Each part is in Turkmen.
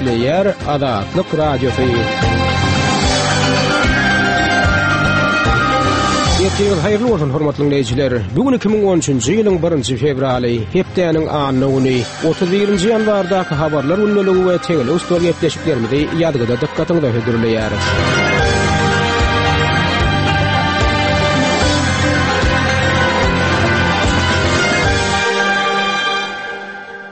Gepleýär Azatlyk Radiosy. Ertiriňiz haýyrly bolsun, hormatly diňleýjiler. Bu gün 2013-nji ýylyň 1-nji fewraly, hepdäniň anna güni, 31-nji ýanwardaky habarlar gündeligi we tegelek stol gepleşiklerimizi ýazgyda dykgatyňyza hödürleýäris.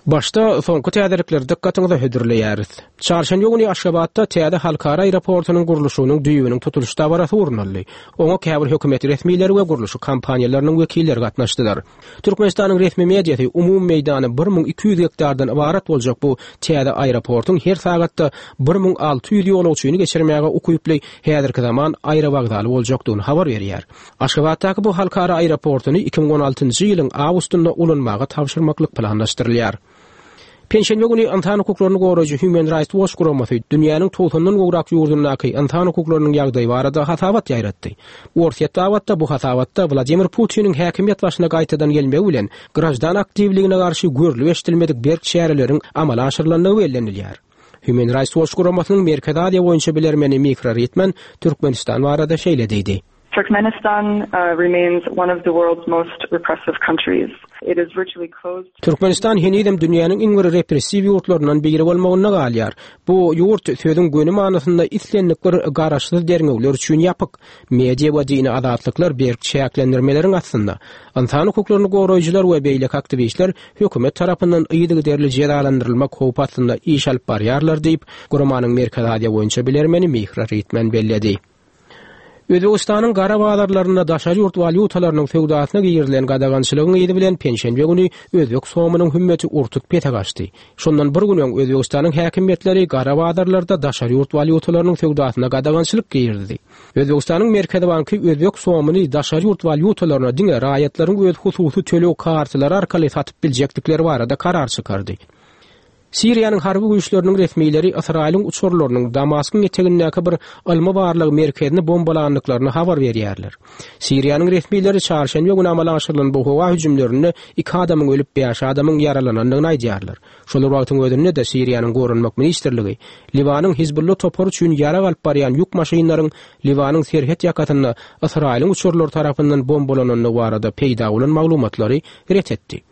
Başda soňky täzelikleri dykgatyňyza hödürleýäris. Çarşenbe güni Aşgabatda täze halkara aeroportunyň gurluşygynyň düýbüniň tutulyş dabarasy gurnaldy. Oňa käbir hökümet resmileri we gurluşyk kompaniýalarynyň wekilleri gatnaşdylar. Türkmenistanyň resmi mediasy umumy meýdany 1200 gektardan ybarat boljak bu täze aeroportuň her sagatda 1600 ýolagçyny geçirmäge ukyply häzirki zaman aerowokzaly boljakdygyny habar berýär. Aşgabatdaky bu halkara aeroportuny 2016-njy ýylyň awgustynda ulanmaga tabşyrmaklyk planlaşdyrylýar. Penşenbe güni ynsan hukuklaryny goraýjy Human Rights Watch guramasy dünýäniň togsandan gowrak ýurdundaky ynsan hukuklarynyň ýagdaýy barada hasabat ýaýratdy. Orsýet babatda bu hasabatda Wladimir Putiniň häkimiýet başyna gaýtadan gelmegi bilen graždan aktiwligine garşy görlüp-eşidilmedik berk çäreleriň amala aşyrylandygy bellenilýär. Human Rights Watch guramasynyň Merkezi Aziýa boýunça bilermeni Mikra Ritman Türkmenistan barada şeýle diýdi. Turkmenistan remains one of the world's most repressive countries. It is virtually closed. Türkmenistan henizem dünýäniň iň bir repressiw ýurtlaryndan biri bolmagynda galýar. Bu ýurt sözüň göni manysynda islendik bir garaşsyz derňewler üçin ýapyk. Media we dini azatlyklar berk çäklendirmeleriň astynda. Ynsan hukuklaryny goraýjylar we beýleki aktiwistler hökümet tarapyndan yzygiderli jezalandyrylmak howpy astynda iş alyp barýarlar diýip, guramanyň Merkezi Aziýa boýunça bilermeni Mihra Ritman belledi. Özbegistanyň gara bazarlarynda daşary ýurt walýutalarynyň söwdasyna girizilen gadagançylygyň yzy bilen penşenbe güni özbek somynyň hümmeti ur-tut pese gaçdy. Şondan bir gün öň Özbegistanyň häkimiýetleri gara bazarlarda daşary ýurt walýutalarynyň söwdasyna gadagançylyk girizdi. Özbegistanyň Merkezi banky özbek somyny daşary ýurt walýutalaryna diňe raýatlaryň öz hususy töleg kartalary arkaly satyp biljekdikleri barada karar çykardy. Siriýanyň harby güýçleriniň resmileri Ysraýylyň uçarlarynyň Damaskyň etegindäki bir ylmy-barlag merkezini bombalandyklaryny habar berýärler. Siriýanyň resmileri çarşenbe güni amala aşyrylan bu howa hüjümlerinde iki adamyň ölüp, bäş adamyň ýaralanandygyny aýdýarlar. Şol bir wagtyň özünde-de Siriýanyň Goranmak ministrligi Liwanyň Hizbulla topary üçin ýarag alyp barýan ýük maşynlaryň Liwanyň serhet ýakasynda Ysraýylyň uçarlary tarapyndan bombalanandygy barada peýda bolan maglumatlary ret etdi.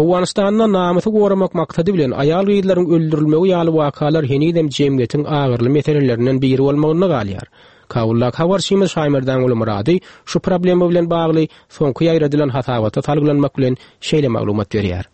Owganystanda namysy goramak maksady bilen aýal-gyzlaryň öldürilmegi ýaly wakalar henizem jemgyýetiň agyrly meselelerinden biri bolmagynda galýar. Kabuldaky habarçymyz Şaýmerdanguly Myrady şu problema bilen bagly soňky ýaýradylan hasabata salgylanmak bilen şeýle maglumat berýär.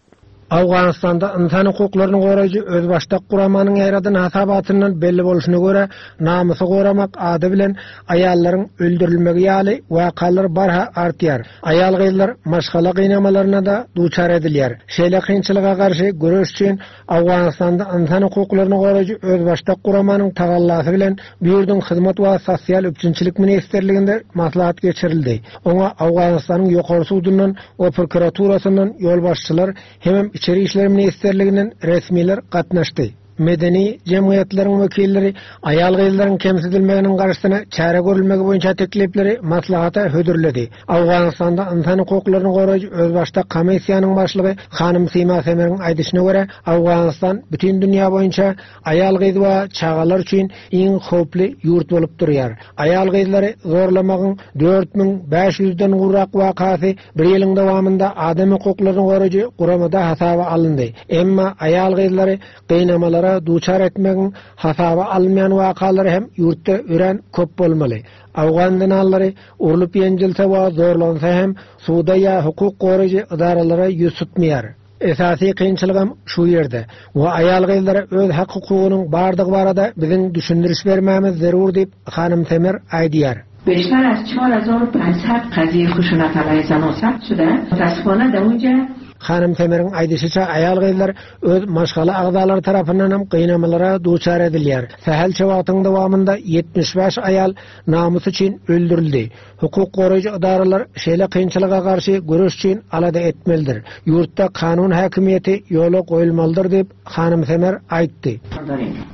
Owganystanda ynsan hukuklaryny goraýjy özbaşdak guramanyň ýaýradan hasabatyndan belli bolşuna görä, namysy goramak ady bilen aýallaryň öldürilmegi ýaly wakalar barha artýar. Aýal-gyzlar maşgala gynamalaryna-da duçar edilýär. Şeýle kynçylyga garşy göreş üçin Owganystanda ynsan hukuklaryny goraýjy özbaşdak guramanyň tagallasy bilen bu ýurduň Hyzmat we sosial üpjünçilik ministrliginde maslahat geçirildi. Oňa Owganystanyň Ýokary sudundan we prokuraturasyndan ýolbaşçylar hemem Içeri işler ministrliginden resmiler gatnaşdy. Medeni jemgyýetleriň wekilleri aýal-gyzlaryň kemsidilmeginiň garşysyna çäre görülmegi boýunça teklipleri maslahata hödürledi. Owganystanda ynsan hukuklaryny goraýjy özbaşdak komissiýanyň başlygy hanym Sima Semeriň aýdyşyna görä, Owganystan bütin dünýä boýunça aýal-gyz we çagalar üçin iň howply ýurt bolup durýar. Aýal-gyzlary zorlamagyň 4500-den gowrak wakasy bir ýylyň dowamynda adam hukuklaryny goraýjy guramada hasaba alyndy. Emma aýal-gyzlary gynamalara duçar etmegiň hasaba alynmaýan wakalary hem ýurtda örän köp bolmaly. Owgan zenanlary urlup-ýenjilse we zorlansa hem suda ýa hukuk goraýjy edaralara ýüz tutmaýar. Esasy kynçylygam şu ýerde we aýal-gyzlara öz hak-hukugynyň bardygy barada biziň düşündiriş bermämiz zerur diýip, hanym Semer aýdýar. Beşter az çar hazar u pançsad kaziye huşunat alayhe zanan sabt şude, mutaassifane de unca. Hanym Semeriň aýdyşyça, aýal-gyzlar öz maşgala agzalary tarapyndan hem gynamalara duçar edilýär. Sähelçe wagtyň dowamynda 75 aýal namys üçin öldürildi. Hukuk goraýjy edaralar şeýle kynçylyga garşy göreş üçin alada etmelidir. Ýurtda kanun häkimiýeti ýola goýulmalydyr diýip, hanym Semer aýtdy.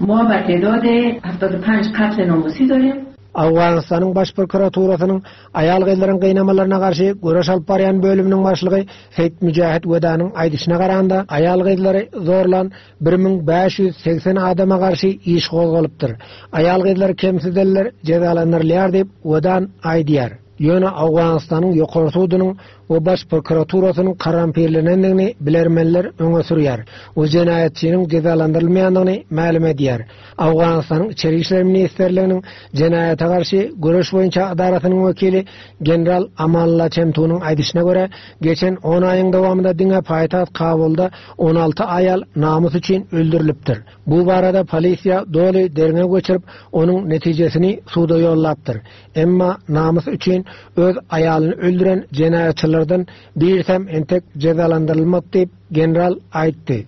Ma ba tedade heftad u panj katl namusi darim. Owganystanyň Baş prokuraturasynyň aýal-gyzlaryň gynamalaryna garşy göreş alyp barýan bölüminiň başlygy Seýit Müjahit Wedanyň aýdyşyna garanda, aýal-gyzlary zorlan 1580 adama garşy iş gozgalypdyr. Aýal-gyzlary kemsidenler jezalandyrylýar diýip, Wedan aýdýar. Ýöne Owganystanyň Ýokary sudunyň we Baş prokuraturasynyň korrompirlenendigini bilermenler öňe sürýär we jenaýatçynyň jezalandyrylmaýandygyny mälim edýär. Owganystanyň Içeri işler ministrliginiň jenaýata garşy göreş boýunça edarasynyň wekili general Amanullah Çemtunyň aýdyşyna görä, geçen on aýyň dowamynda diňe paýtagt Kabulda 16 aýal namys üçin öldürilipdir. Bu barada polisiýa doly derňew geçirip, onuň netijesini suda ýollapdyr. Emma namys üçin öz aýalyny öldüren jenaýatçylardan birisem entek jezalandyrylmady diýip, general aýtdy.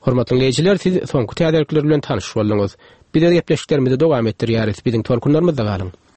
Hormatly diňleýjiler, siz soňky täzelikler bilen tanyş bolduňyz. Biz öz gepleşiklerimizi dowam etdirýäris. Biziň tolkunlarymyzda galyň!